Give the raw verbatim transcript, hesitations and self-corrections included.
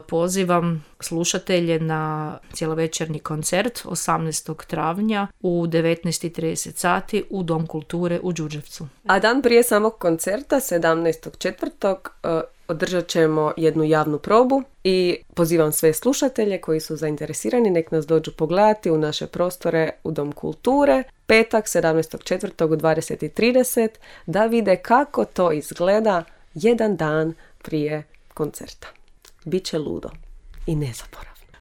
pozivam slušatelje na cjelovečernji koncert osamnaestog travnja u devetnaest i trideset sati u Dom kulture u Đurđevcu. A dan prije samog koncerta, sedamnaestog četvrtog održat ćemo jednu javnu probu i pozivam sve slušatelje koji su zainteresirani nek nas dođu pogledati u naše prostore u Dom kulture petak sedamnaestog četvrtog u dvadeset i trideset da vide kako to izgleda jedan dan prije koncerta. Biće ludo i nezaboravno.